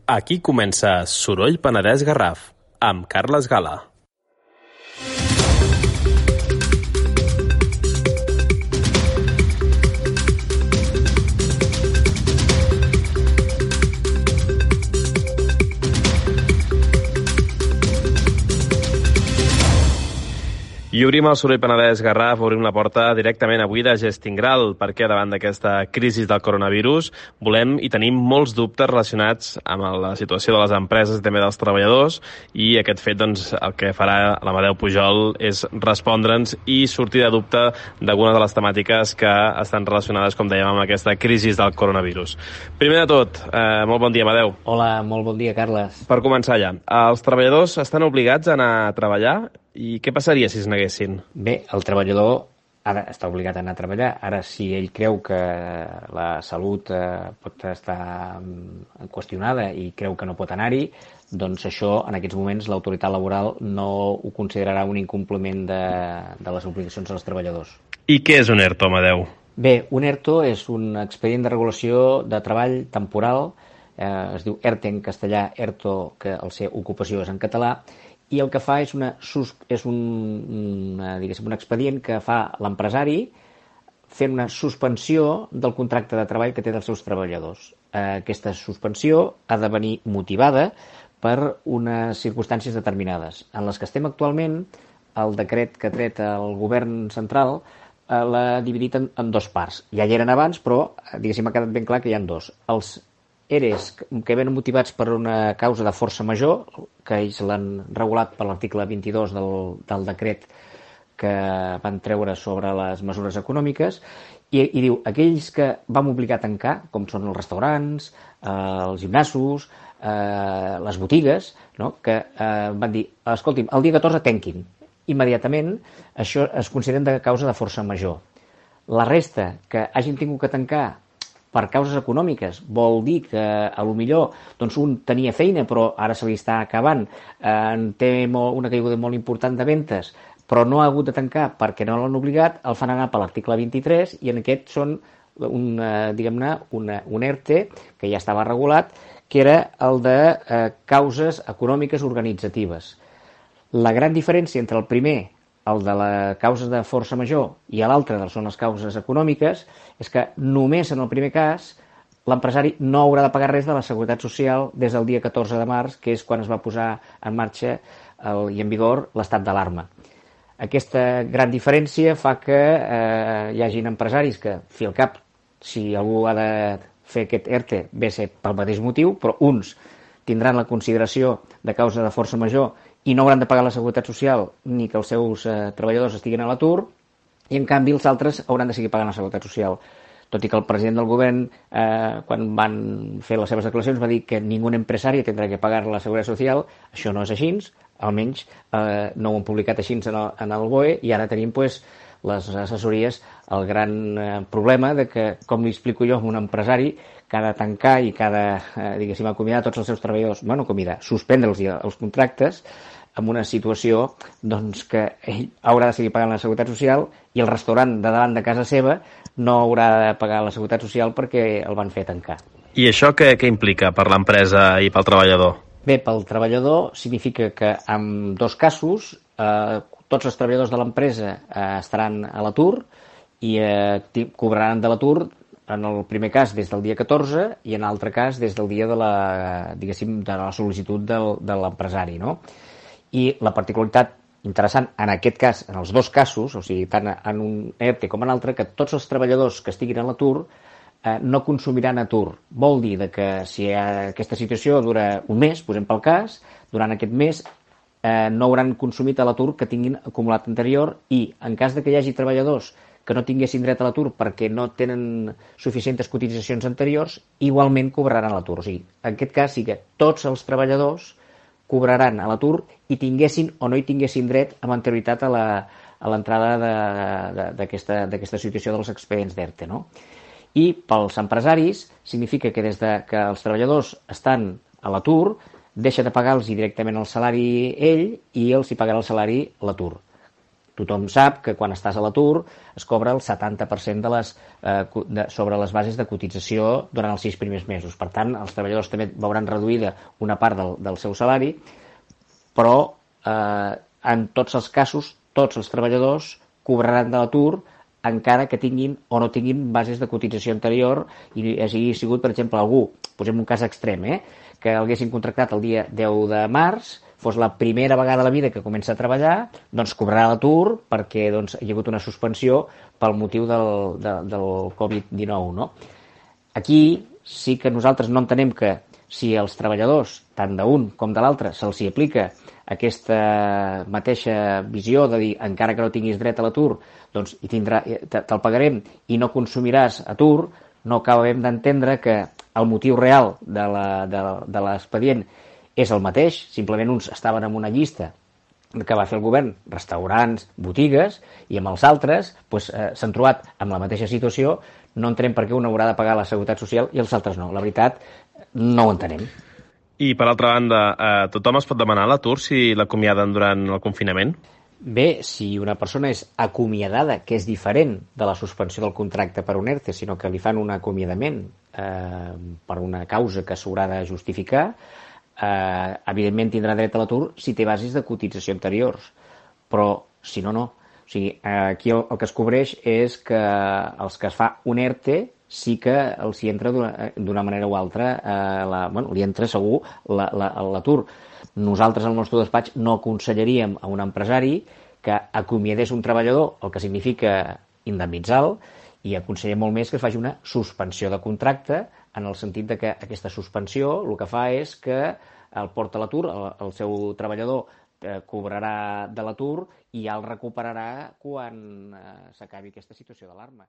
Aquí comença Soroll Penedès Garraf, amb Carles Gala. I obrim el Soroll Penedès Garraf, obrim la porta directament avui de Gestingral, perquè davant d'aquesta crisi del coronavirus volem i tenim molts dubtes relacionats amb la situació de les empreses i també dels treballadors, i aquest fet, doncs, el que farà l'Amadeu Pujol és respondre'ns i sortir de dubte d'algunes de les temàtiques que estan relacionades, com dèiem, amb aquesta crisi del coronavirus. Primer de tot, molt bon dia, Amadeu. Hola, molt bon dia, Carles. Per començar ja, els treballadors estan obligats a anar a treballar? I què passaria si es neguessin? Bé, el treballador ara està obligat a anar a treballar. Ara, si ell creu que la salut pot estar qüestionada i creu que no pot anar-hi, doncs això, en aquests moments, l'autoritat laboral no ho considerarà un incompliment de les obligacions dels treballadors. I què és un ERTO, Amadeu? Bé, un ERTO és un expedient de regulació de treball temporal, es diu ERTE en castellà, ERTO, que el ser ocupació és en català, i el que fa és un expedient que fa l'empresari fent una suspensió del contracte de treball que té dels seus treballadors. Aquesta suspensió ha de venir motivada per unes circumstàncies determinades. En les que estem actualment, el decret que ha tret el govern central l'ha dividit en dues parts. Ja hi eren abans, però diguéssim ha quedat ben clar que hi ha dos. Els EREs que venen motivats per una causa de força major, que ells l'han regulat per l'article 22 del decret que van treure sobre les mesures econòmiques, i diu, aquells que vam obligar a tancar, com són els restaurants, els gimnasos, les botigues, no? Que van dir, escolti'm, el dia 14 tanquin. Immediatament, això es considera de causa de força major. La resta que hagin tingut que tancar per causes econòmiques, vol dir que a lo millor doncs un tenia feina però ara se li està acabant, té una caiguda molt important de ventes, però no ha hagut de tancar perquè no l'han obligat, el fan anar per l'article 23 i en aquest són un ERTE que ja estava regulat, que era el de causes econòmiques organitzatives. La gran diferència entre el primer, el de la causa de força major, i l'altre són les causes econòmiques, és que només en el primer cas l'empresari no haurà de pagar res de la Seguretat Social des del dia 14 de març, que és quan es va posar en marxa i en vigor l'estat d'alarma. Aquesta gran diferència fa que hi hagin empresaris que, fi al cap, si algú ha de fer aquest ERTE, ve a ser pel mateix motiu, però uns tindran la consideració de causa de força major i no hauran de pagar la Seguretat Social ni que els seus treballadors estiguin a l'atur, i en canvi els altres hauran de seguir pagant la Seguretat Social. Tot i que el president del govern, quan van fer les seves declaracions, va dir que ningú empresari tindrà que pagar la Seguretat Social. Això no és així, almenys no ho han publicat així en el BOE, i ara tenim les assessories el gran problema de que, com li explico jo a un empresari, que ha de tancar i que ha de, acomiadar tots els seus treballadors, suspendre els contractes, en una situació que ell haurà de seguir pagant la Seguretat Social i el restaurant de davant de casa seva no haurà de pagar la Seguretat Social perquè el van fer tancar. I això què implica per l'empresa i pel treballador? Bé, pel treballador significa que en dos casos tots els treballadors de l'empresa estaran a l'atur i cobraran de l'atur en el primer cas des del dia 14 i en l'altre cas des del dia de la sol·licitud de l'empresari, no? I la particularitat interessant en aquest cas, en els dos casos, o sigui, tant en un ERTE com en l'altre, que tots els treballadors que estiguin a l'atur no consumiran atur. Vol dir que si aquesta situació dura un mes, posem pel cas, durant aquest mes no hauran consumit a l'atur que tinguin acumulat anterior, i en cas que hi hagi treballadors que no tinguessin dret a l'atur perquè no tenen suficients cotitzacions anteriors, igualment cobraran a l'atur. O sigui, en aquest cas sí que tots els treballadors cobraran a l'atur i tinguessin o no hi tinguessin dret amb anterioritat a l'entrada d'aquesta situació dels expedients d'ERTE, no? I pels empresaris significa que des que els treballadors estan a l'atur deixa de pagar-los directament el salari ell i els hi pagarà el salari l'atur. Tothom sap que quan estàs a l'atur es cobra el 70% sobre les bases de cotització durant els 6 primers mesos. Per tant, els treballadors també veuran reduïda una part del seu salari, però en tots els casos, tots els treballadors cobraran de l'atur encara que tinguin o no tinguin bases de cotització anterior i hagi sigut, per exemple, algú, posem un cas extrem, que haguessin contractat el dia 10 de març, fos la primera vegada a la vida que comença a treballar, doncs cobrarà l'atur perquè doncs, hi ha hagut una suspensió pel motiu del Covid-19. No? Aquí sí que nosaltres no entenem que si als treballadors, tant d'un com de l'altre, se'ls aplica aquesta mateixa visió de dir encara que no tinguis dret a l'atur, doncs te'l pagarem i no consumiràs atur, no acabem d'entendre que el motiu real de l'expedient és el mateix, simplement uns estaven en una llista que va fer el govern, restaurants, botigues, i amb els altres s'han trobat amb la mateixa situació, no entenem per què un haurà de pagar la Seguretat Social i els altres no. La veritat, no ho entenem. I, per altra banda, tothom es pot demanar l'atur si l'acomiaden durant el confinament? Bé, si una persona és acomiadada, que és diferent de la suspensió del contracte per un ERTE, sinó que li fan un acomiadament per una causa que s'haurà de justificar, evidentment tindrà dret a l'atur si té bases de cotització anteriors, però si no, no. O sigui, aquí el que es cobreix és que els que es fa un ERTE sí que els hi entra d'una manera o altra, li entra segur l'atur. Nosaltres al nostre despatx no aconsellaríem a un empresari que acomiadés un treballador, el que significa indemnitzar-lo, i aconsellem molt més que es faci una suspensió de contracte, en el sentit de que aquesta suspensió el que fa és que el porta a l'atur, el seu treballador cobrarà de l'atur i ja el recuperarà quan s'acabi aquesta situació d'alarma.